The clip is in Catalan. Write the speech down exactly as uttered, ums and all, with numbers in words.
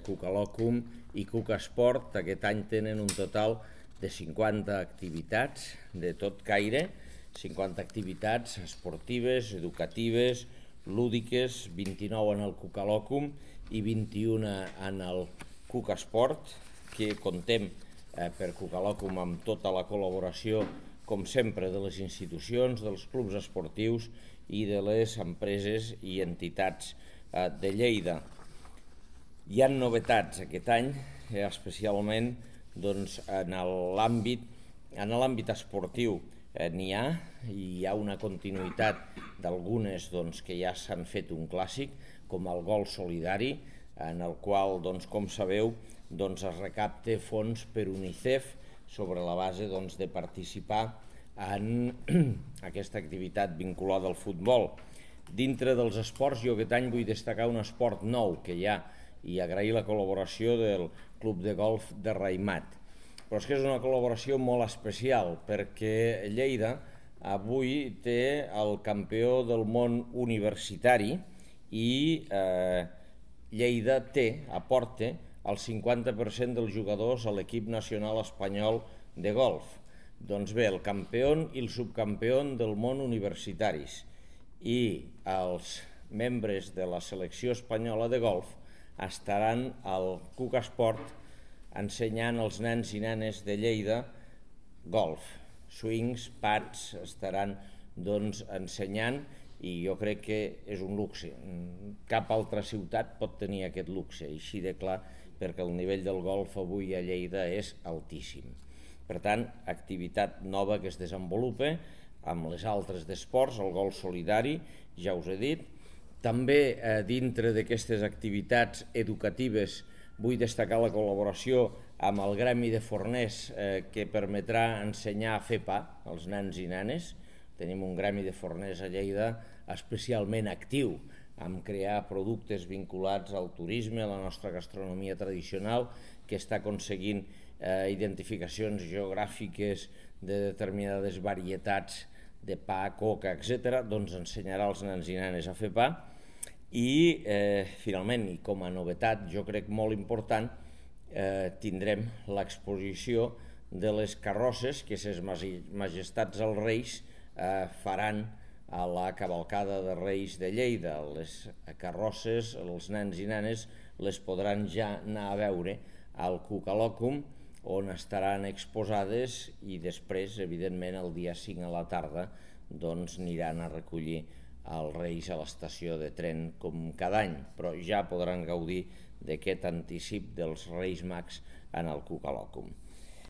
Cucalòcum i Cucasport aquest any tenen un total de cinquanta activitats de tot caire, cinquanta activitats esportives, educatives, lúdiques, vint-i-nou en el Cucalòcum i vint-i-una en el Cucasport, que contem eh, per Cucalòcum amb tota la col·laboració, com sempre, de les institucions, dels clubs esportius i de les empreses i entitats eh, de Lleida. Hi ha novetats aquest any, eh, especialment doncs, en l'àmbit en l'àmbit esportiu. Eh, N'hi ha, i hi ha una continuïtat d'algunes doncs, que ja s'han fet un clàssic, com el gol solidari, en el qual, doncs, com sabeu, doncs, es recapta fons per UNICEF sobre la base doncs, de participar en aquesta activitat vinculada al futbol. Dintre dels esports, jo aquest any vull destacar un esport nou que hi ha i agrair la col·laboració del Club de Golf de Raïmat. Però és que és una col·laboració molt especial perquè Lleida avui té el campió del món universitari i eh, Lleida té, aporta, el cinquanta per cent dels jugadors a l'equip nacional espanyol de golf. Doncs bé, el campió i el subcampió del món universitaris i els membres de la selecció espanyola de golf estaran al Cucasport ensenyant als nens i nenes de Lleida golf. Swings, pads, estaran doncs, ensenyant, i jo crec que és un luxe. Cap altra ciutat pot tenir aquest luxe, així de clar, perquè el nivell del golf avui a Lleida és altíssim. Per tant, activitat nova que es desenvolupa amb les altres d'esports, el gol solidari, ja us he dit. També eh, dintre d'aquestes activitats educatives vull destacar la col·laboració amb el Gremi de Forners eh, que permetrà ensenyar a fer pa als nens i nenes. Tenim un Gremi de Forners a Lleida especialment actiu en crear productes vinculats al turisme, a la nostra gastronomia tradicional, que està aconseguint eh, identificacions geogràfiques de determinades varietats de pa, coca, etcètera, doncs ensenyarà als nens i nenes a fer pa. I, eh, finalment, i com a novetat, jo crec molt important, eh, tindrem l'exposició de les carrosses que ses majestats els Reis eh, faran a la cavalcada de Reis de Lleida. Les carrosses, els nens i nenes, les podran ja anar a veure al Cucalòcum, on estaran exposades i després, evidentment, el dia cinc a la tarda, doncs aniran a recollir els Reis a l'estació de tren com cada any, però ja podran gaudir d'aquest anticip dels Reis Mags en el Cucalòcum.